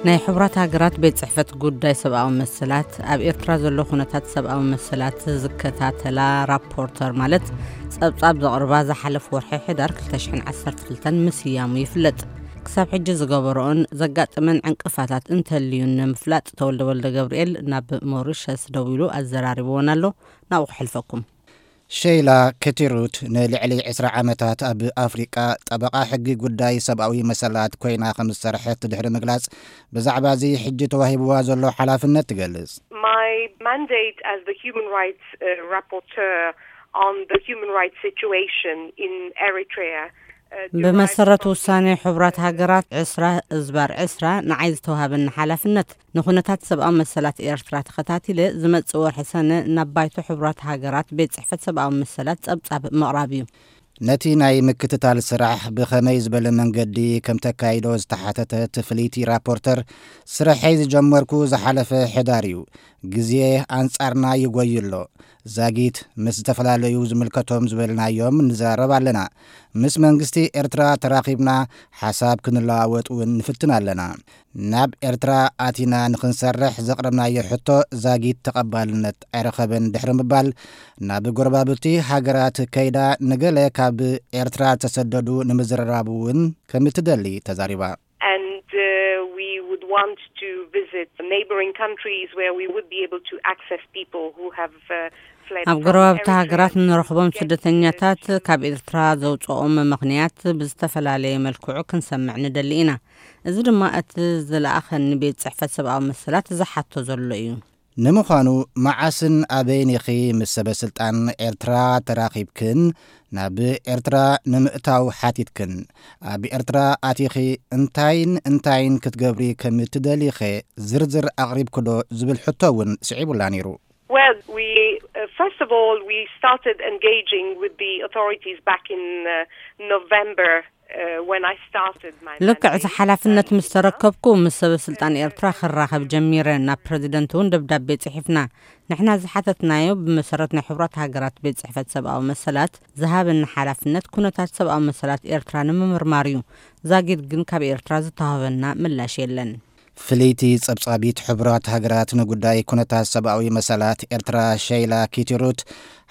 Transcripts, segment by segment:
ናይ ሕቡራት ሃገራት ቤት ጽሕፈት ጉዳይ ሰብኣዊ መሰላት ኣብ ኤርትራ ዘሎ ኩነታት ሰብኣዊ መሰላት ዝከታተላ ራፖርተር ማለት ጸብጻብ ዘቕርባ ዝሓለፈ ወርሒ ሕዳር ክልተ ሽሕን ዓሰርተ ክልተን ምስያሙ ይፍለጥ። ክሳብ ሕጂ ዝገበረኦን ዘጋጠመን ዕንቅፋታት እንተልዩን ንምፍላጥ ተወልደ ወልደ ገብርኤል ናብ ሞሪሸስ ደዊሉ ኣዘራሪብዎን ኣሎ። ናብኡ ክሕልፈኩም። ሸይላ ኬቲሩት ንልዕሊ ዕስራ ዓመታት ኣብ ኣፍሪቃ ጠበቓ ሕጊ ጉዳይ ሰብኣዊ መሰላት ኮይና ከም ዝሰርሐት ድሕሪ ምግላጽ፣ ብዛዕባ እዚ ሕጂ ተዋሂብዋ ዘሎ ሓላፍነት ትገልጽ። My mandate as the human rights uh, rapporteur on the human rights situation in Eritrea uh, derives ብመሰረት from ውሳኔ ሕቡራት ሃገራት ዕስራ እዝባር ዕስራ ንዓይ ዝተዋሃበኒ ሓላፍነት ንኩነታት ሰብኣዊ መሰላት ኤርትራ ተኸታቲለ ዝመጽእ ወርሒ ሰነ ናብ ባይቶ ሕቡራት ሃገራት ቤት ጽሕፈት ሰብኣዊ መሰላት ጸብጻብ ምቕራብ እዩ። ነቲ ናይ ምክትታል ስራሕ ብኸመይ ዝበለ መንገዲ ከም ተካይዶ ዝተሓተተት ፍልይቲ ራፖርተር፣ ስርሐይ ዝጀመርኩ ዝሓለፈ ሕዳር እዩ። ግዜ ኣንጻርና ይጎይ ኣሎ። ዛጊት ምስ ዝተፈላለዩ ዝምልከቶም ዝበልናዮም ንዘራረብ ኣለና። ምስ መንግስቲ ኤርትራ ተራኺብና ሓሳብ ክንለዋወጥ እውን ንፍትን ኣለና። ናብ ኤርትራ ኣቲና ንኽንሰርሕ ዘቕረብናዮ ሕቶ ዛጊት ተቐባልነት ኣይረኸበን ድሕሪ ምባል፣ ናብ ጎረባብቲ ሃገራት ከይዳ ንገለ ካብ ኤርትራ ዝተሰደዱ ንምዝርራብ እውን ከም እትደሊ ተዛሪባ። And uh, we would want to visit neighboring countries where we would be able to access people who have uh, fled ኣብ from ጎረባብቲ Eritrea ሃገራት to ንረኽቦም get ስደተኛታት to ካብ ኤርትራ ዘውፅኦም ምኽንያት ብዝተፈላለየ መልክዑ ክንሰምዕ ንደሊ ኢና። እዚ ድማ እቲ ዝለኣኸኒ ቤት ጽሕፈት ሰብኣዊ መሰላት ዝሓቶ ዘሎ እዩ። ንምዃኑ መዓስን ኣበይን ኢኺ ምስ ሰበ ስልጣን ኤርትራ ተራኺብክን ናብ ኤርትራ ንምእታው ሓቲትክን? ኣብ ኤርትራ ኣቲኺ እንታይን እንታይን ክትገብሪ ከም እትደሊኸ ዝርዝር ኣቕሪብክዶ ዝብል ሕቶ እውን ስዒቡላ ነይሩ። Well, we uh, first of all we started engaging with the authorities back in uh, November uh, when I started my ልክዕ እቲ mandate. ሓላፍነት And ምስ ተረከብኩ ምስ ሰበ ስልጣን ኤርትራ ክራኸብ ጀሚረ። ናብ ፕረዚደንት እውን ደብዳቤ ጽሒፍና። ንሕና ዝሓተትናዮ ብመሰረት ናይ ሕቡራት ሃገራት ቤት ጽሕፈት ሰብኣዊ መሰላት ዝሃበና ሓላፍነት ኩነታት ሰብኣዊ መሰላት ኤርትራ ንምምርማር እዩ። ዛጊድ ግን ካብ ኤርትራ ዝተዋህበና ምላሽ የለን። ፍልይቲ ጸብጻቢት ሕቡራት ሃገራት ንጉዳይ ኩነታት ሰብኣዊ መሰላት ኤርትራ ሸይላ ኪቲሩት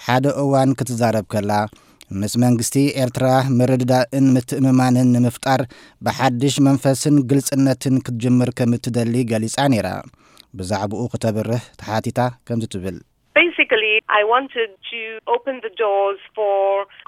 ሓደ እዋን ክትዛረብ ከላ፣ ምስ መንግስቲ ኤርትራ ምርድዳእን ምትእምማንን ንምፍጣር ብሓድሽ መንፈስን ግልጽነትን ክትጅምር ከም እትደሊ ገሊጻ ነይራ። ብዛዕባኡ ክተብርህ ተሓቲታ ከምዚ ትብል። Basically, I wanted to open the doors for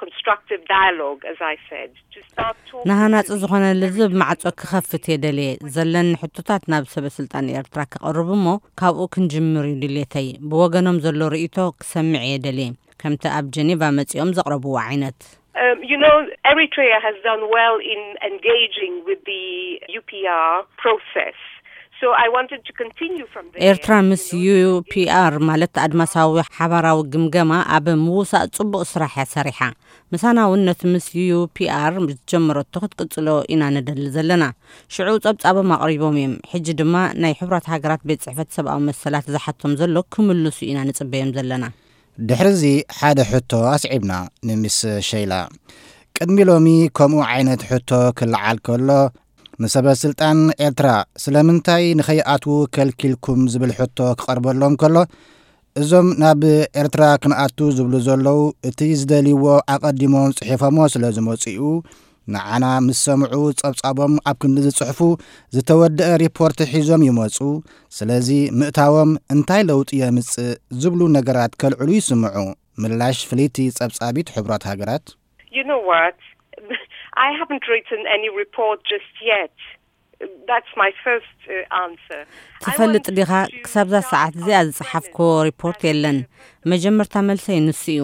constructive dialogue, as I said, to start talking ንሃናጺ ዝኾነ ልዝብ ማዕጾ ክኸፍት እየ ደልየ። ዘለኒ ሕቶታት ናብ ሰበ ስልጣን ኤርትራ ክቐርብ እሞ ካብኡ ክንጅምር እዩ ድሌተይ። ብወገኖም ዘሎ ርእይቶ ክሰምዕ እየ ደልየ፣ ከምቲ ኣብ ጀኔቫ መጺኦም ዘቕረብዎ ዓይነት። Um, you know, Eritrea has done well in engaging with the U P R process. So I wanted to continue from there. ኤርትራ ምስ ዩ ፒ ኣር ማለት ኣድማሳዊ ሓባራዊ ግምገማ ኣብ ምውሳእ ጽቡቕ ስራሕ እያ ሰሪሓ። ምሳና እውን ነቲ ምስ ዩ ፒ ኣር ዝጀመረቶ ክትቅጽሎ ኢና ንደሊ ዘለና። ሽዑ ጸብጻቦም ኣቕሪቦም እዮም። ሕጂ ድማ ናይ ሕቡራት ሃገራት ቤት ጽሕፈት ሰብኣዊ መሰላት ዝሓቶም ዘሎ ክምልሱ ኢና ንጽበዮም ዘለና። ድሕሪ እዚ ሓደ ሕቶ ኣስዒብና ንሚስ ሸይላ። ቅድሚ ሎሚ ከምኡ ዓይነት ሕቶ ክለዓል ከሎ፣ ንሰበ ስልጣን ኤርትራ ስለምንታይ ንኸይኣትዉ ከልኪልኩም ዝብል ሕቶ ክቐርበሎም ከሎ፣ እዞም ናብ ኤርትራ ክንኣቱ ዝብሉ ዘለዉ እቲ ዝደልይዎ ኣቐዲሞም ጽሒፎሞ ስለ ዝመጽኡ፣ ንዓና ምስ ሰምዑ ጸብጻቦም ኣብ ክንዲ ዝጽሕፉ ዝተወደአ ሪፖርት ሒዞም ይመጹ። ስለዚ ምእታዎም እንታይ ለውጢ የምጽእ ዝብሉ ነገራት ከልዕሉ ይስምዑ። ምላሽ ፍልይቲ ጸብጻቢት ሕቡራት ሃገራት። You know what? I haven't written any report just yet. That's my first uh, answer. I ትፈልጥ want ዲኻ? to ክሳብዛ start ሰዓት እዚኣ ዝጸሓፍኮ understanding ሪፖርት የለን። መጀመርታ መልሰይ ንሱ እዩ።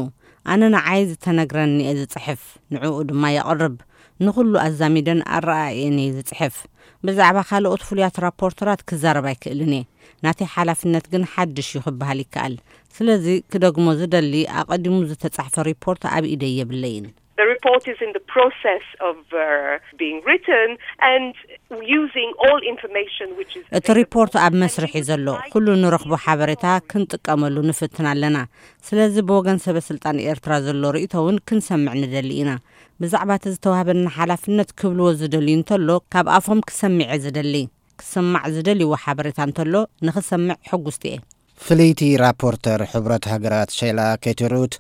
ኣነ ንዓይ ዝተነግረኒ እየ ዝጽሕፍ፣ ንዕኡ ድማ የቕርብ። ንኹሉ ኣዛሚደን ኣረኣእየን እየ ዝጽሕፍ። ብዛዕባ ካልኦት ፍሉያት ራፖርተራት ክዛረብ ኣይክእልን እየ። ናተይ ሓላፍነት ግን ሓድሽ እዩ ክበሃል ይከኣል። ስለዚ ክደግሞ ዝደሊ ኣቐዲሙ ዝተጻሕፈ ሪፖርት ኣብ ኢደይ የብለይን። The report is in the process of uh, being written and using all information which is እቲ available. ሪፖርት ኣብ መስርሕ እዩ ዘሎ። ኩሉ ንረኽቦ ሓበሬታ ክንጥቀመሉ ንፍትን ኣለና። ስለዚ ብወገን ሰበ ስልጣን ኤርትራ ዘሎ ርእይቶ እውን ክንሰምዕ ንደሊ ኢና። ብዛዕባ እቲ ዝተዋህበና ሓላፍነት ክብልዎ ዝደልዩ እንተሎ ካብ ኣፎም ክሰምዕ እየ ዝደሊ። ክስማዕ ዝደልይዎ ሓበሬታ እንተሎ ንኽሰምዕ ሕጉስቲ እየ። ፍልይቲ ራፖርተር ሕብረት ሃገራት ሸይላ ኬትሩት፣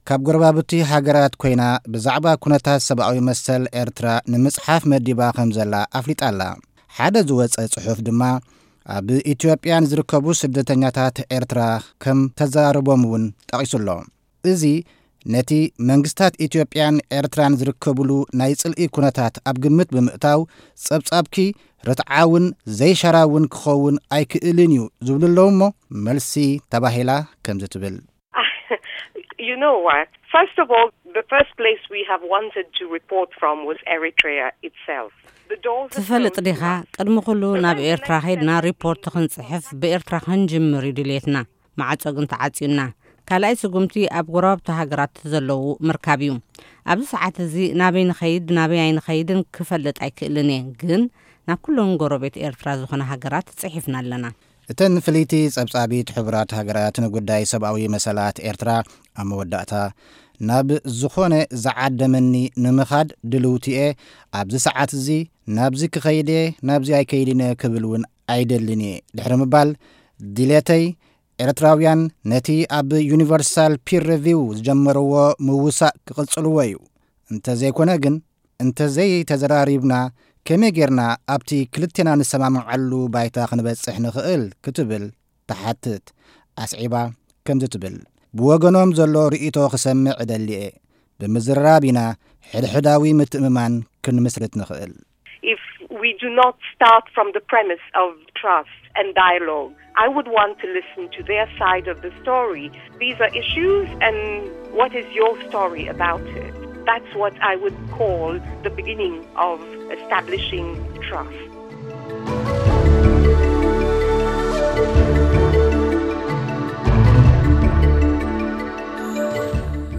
ካብ ጎረባብቲ ሃገራት ኮይና ብዛዕባ ኩነታት ሰብኣዊ መሰል ኤርትራ ንምጽሓፍ መዲባ ከም ዘላ ኣፍሊጣ ኣላ። ሓደ ዝወጸ ጽሑፍ ድማ ኣብ ኢትዮጵያን ዝርከቡ ስደተኛታት ኤርትራ ከም ተዘራረቦም እውን ጠቒሱ ኣሎ። እዚ ነቲ መንግስታት ኢትዮጵያን ኤርትራን ዝርከብሉ ናይ ጽልኢ ኩነታት ኣብ ግምት ብምእታው፣ ጸብጻብኪ ርትዓውን ዘይሻራውን ክኸውን ኣይክእልን እዩ ዝብሉ ኣለዉ እሞ፣ መልሲ ተባሂላ ከምዚ ትብል። You know what? First of all, the first place we have wanted to report from was Eritrea itself. The doors have ትፈልጥ closed ዲኻ? to us. ቅድሚ ኩሉ ናብ ኤርትራ ከይድና ሪፖርት ክንጽሕፍ ብኤርትራ ክንጅምር እዩ ድልየትና። ማዕጾ ግን ተዓጽዩና። ካልኣይ ስጉምቲ ኣብ ጎረባብቲ ሃገራት ዘለዉ ምርካብ እዩ። ኣብዚ ሰዓት እዚ ናበይ ንኸይድ ናበይ ኣይንኸይድን ክፈልጥ ኣይክእልን እየ። ግን ናብ ኩለን ጎረቤት ኤርትራ ዝኾነ ሃገራት ጽሒፍና ኣለና። እተን ፍልይቲ ጸብጻቢት ሕቡራት ሃገራት ንጉዳይ ሰብኣዊ መሰላት ኤርትራ ኣብ መወዳእታ፣ ናብ ዝኾነ ዝዓደመኒ ንምኻድ ድልውቲ እየ፣ ኣብዚ ሰዓት እዚ ናብዚ ክኸይድ እየ፣ ናብዚ ኣይከይድን እየ ክብል እውን ኣይደልን እየ ድሕሪ ምባል፣ ድሌተይ ኤርትራውያን ነቲ ኣብ ዩኒቨርሳል ፒር ሪቪው ዝጀመርዎ ምውሳእ ክቕጽልዎ እዩ። እንተዘይኮነ ግን፣ እንተዘይተዘራሪብና ከመይ ጌርና ኣብቲ ክልቴና ንሰማምዓሉ ባይታ ክንበጽሕ ንኽእል? ክትብል ትሓትት። ኣስዒባ ከምዚ ትብል፣ ብወገኖም ዘሎ ርእይቶ ክሰምዕ እደሊ እየ። ብምዝርራብ ኢና ሕድሕዳዊ ምትእምማን ክንምስርት ንኽእል። If we do not start from the premise of trust and dialogue, I would want to listen to their side of the story. These are issues, and what is your story about it? That's what I would call the beginning of establishing trust.